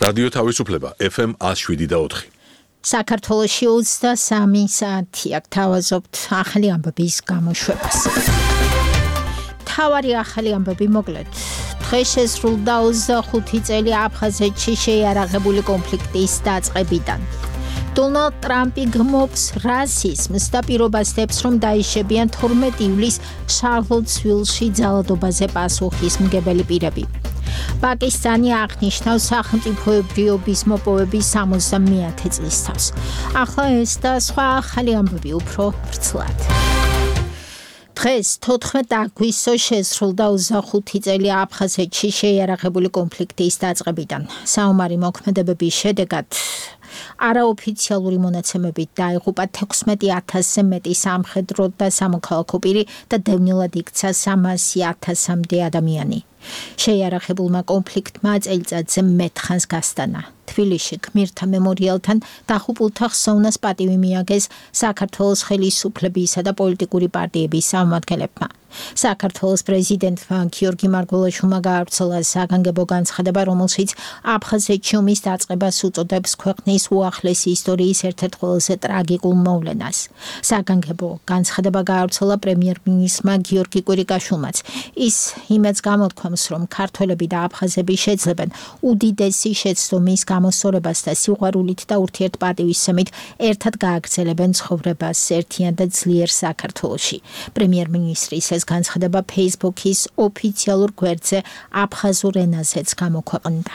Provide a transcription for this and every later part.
რადიო თავისუფლება FM 107.4. საქართველოში 23 საათია გთავაზობთ ახალი ამბების გამოშვებას. თავარი ახალი ამბები მოკლედ. დღეს შესრულდა 25 წელი აფხაზეთში შეიარაღებული კონფლიქტის დაწყებიდან. დონალდ ტრამპი გმობს რასიზმს და პირობასდებს, რომ დაიშებიან 12 ივლისს შარლოტსვილში ძალადობაზე პასუხისმგებელი პირები. პაკისტანი აღნიშნავს სახელმწიფოებრიობის მოპოვების 70-ე წლის თავს. ახლა ეს და სხვა ახალი ამბები უფრო ვრცლად. დღეს 14 აგვისტოს შესრულდა 25 წელი აფხაზეთში შეიარაღებული კონფლიქტის დაწყებიდან. საომარი მოქმედებების შედეგად არაოფიციალური მონაცემებით დაიღუპა 16,000-ზე მეტი სამხედრო და სამოქალაქო პირი და დევნილად იქცა 300,000-მდე ადამიანი. შეიარაღებულმა კონფლიქტმა წელიწადზე მეტხანს გასტანა. თბილისში გმირთა მემორიალთან დაღუპულთა ხსოვნას პატივი მიაგეს საქართველოს ხელისუფლებისა და პოლიტიკური პარტიების წარმომადგენლებმა. საქართველოს პრეზიდენტმა გიორგი მარგველაშვილმა გაავრცელა საგანგებო განცხადება, რომელშიც აფხაზეთში ომის დაწყებას უწოდებს ქვეყნის უახლესი ისტორიის ერთ-ერთ ყველაზე ტრაგიკულ მოვლენას. საგანგებო განცხადება გაავრცელა პრემიერ-მინისტრმა გიორგი კვირიკაშვილმაც. ის იმედს გამოთქვამს, რომ ქართველები და აფხაზები შეძლებენ უდიდესი შეცდომის გამოსწორებას და სიყვარულით და ურთიერთპატივისცემით ერთად გააგრძელებენ ცხოვრებას ერთიან და ძლიერ საქართველოში. პრემიერ-მინისტრის ეს განცხადება Facebook-ის ოფიციალურ გვერდზე აფხაზურ ენაზეც გამოქვეყნდა.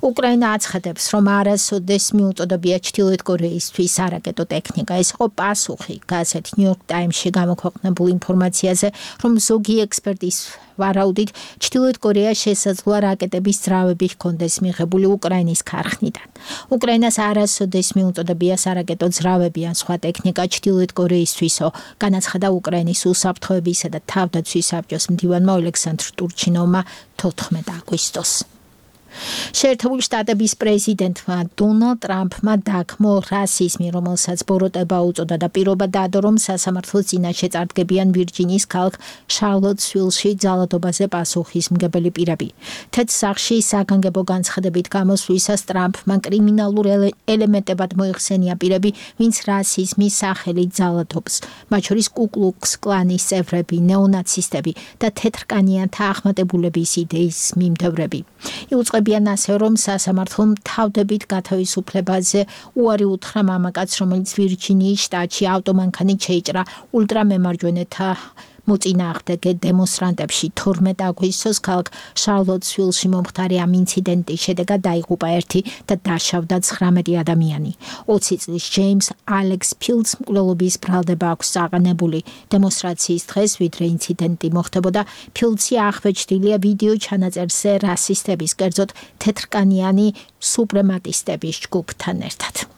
უკრაინა აცხადებს, რომ არასოდეს მიუწოდებია ჩრდილოეთ კორეისთვის არაკეტო ტექნიკა. ეს იყო პასუხი გაზეთ New York Times-ში გამოქვეყნებულ ინფორმაციაზე, რომ ზოგი ექსპერტის ვარაუდით ჩრდილოეთ კორეა შესაძლოა რაკეტების ძრავები ჰქონდეს მიღებული უკრაინის ქარხნიდან. უკრაინას არასოდეს მიუწოდებია სარაკეტო ძრავები ან სხვა ტექნიკა ჩრდილოეთ კორეისთვისო, განაცხადა უკრაინის უსაფრთხოებისა და თავდაცვის საბჭოს მდივანმა ოლექსანდრ ტურჩინოვმა 14 აგვისტოს. შეერთებული შტატების პრეზიდენტმა დონალდ ტრამპმა დაგმო რასიზმი, რომელსაც ბოროტება უწოდა და პირობა დადო, რომ სასამართლოს წინაშე წარდგებიან ვირჯინიის ქალაქ შარლოტსვილში ძალადობაზე პასუხისმგებელი პირები. თეთრ სახლში საგანგებო განცხადებით გამოსვლისას ტრამპმა კრიმინალურ ელემენტებად მოიხსენია პირები, ვინც რასიზმის სახელით ძალადობს, მათ შორის კუკლუქს კლანის წევრები, ნეონაცისტები და თეთრკანიანთა ახმატებულების იდეის მიმდევრები. იუწყებიან ასე, რომ სასამართლომ თავდებით გათავისუფლებაზე უარი უთხრა მამაკაცს, რომელიც ვირჯინიის შტატში ავტომანქანით შეიჭრა ულტრამემარჯვენეთა მოწინააღმდეგე დემონსტრანტებში. 12 აგვისტოს ქალაქ შარლოტსვილში მომხდარი ამ ინციდენტის შედეგად დაიღუპა 1 და დაშავდა 19 ადამიანი. 20 წლის ჯეიმს ალექს ფილდს მკვლელობის ბრალდება აქვს წაყენებული. დემონსტრაციის დღეს, ვიდრე ინციდენტი მოხდებოდა, ფილდსი ახვეჭდილია ვიდეო ჩანაწერზე რასისტების, კერძოდ თეთრკანიანი სუპრემატისტების ჯგუფთან ერთად.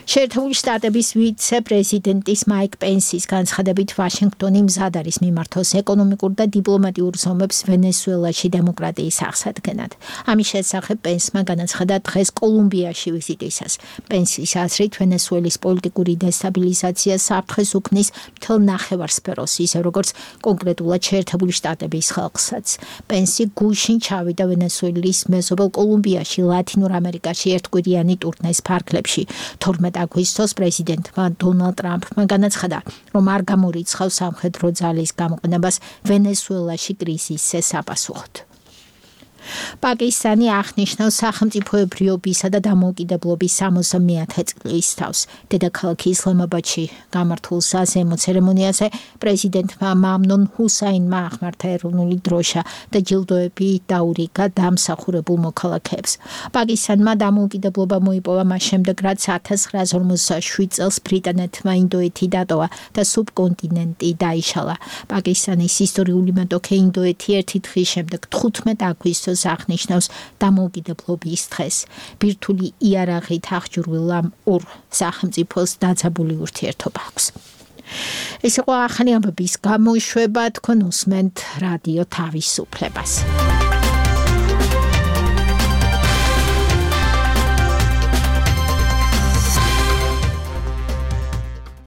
შეერთებული შტატების ვიცე-პრეზიდენტის მაიკ პენსის განცხადებით ვაშინგტონი მზად არის მიმართოს ეკონომიკურ და დიპლომატიურ ზომებს ვენესუელაში დემოკრატიის აღსადგენად. ამის შესახებ პენსმა განაცხადა დღეს კოლუმბიაში ვიზიტისას. პენსის აზრით ვენესუელის პოლიტიკური დესტაბილიზაცია საფრთხეს უქმნის მთელ ნახევარსფეროს, ისე როგორც კონკრეტულად შეერთებული შტატების ხალხსაც. პენსი გუშინ ჩავიდა ვენესუელის მეზობელ კოლუმბიაში, ლათინურ ამერიკაში ერთკვირიანი ტურნეს ფარგლებში. 12 აგვისტოს პრეზიდენტმა დონალდ ტრამპმა განაცხადა, რომ არ გამორიცხავს სამხედრო ძალის გამოყენებას ვენესუელაში კრიზისზე საპასუხოდ. პაკისტანი აღნიშნავს სახელმწიფოებრიობისა და დამოუკიდებლობის 60-ე წლის თავს. დედაქალაქ ისლამაბადში გამართულ საზეიმო ცერემონიაზე პრეზიდენტმა მამნონ ჰუსაინმა აღმართა ეროვნული დროშა და ჯილდოები დაურიგა დამსახურებულ მოქალაქეებს. პაკისტანმა დამოუკიდებლობა მოიპოვა მას შემდეგ, რაც 1947 წელს ბრიტანეთმა ინდოეთი დატოვა და სუბკონტინენტი დაიშალა. პაკისტანის ისტორიული მეტოქე ინდოეთი ერთი დღის შემდეგ 15 აგვისტოს აღნიშნავს დამოუკიდებლობის დღეს. ბირთვული იარაღით აღჭურვილ ამ ორ სახელმწიფოს დაძაბული ურთიერთობა აქვს. ეს იყო ახალი ამბების გამოშვება, თქვენ უსმენთ რადიო თავისუფლებას.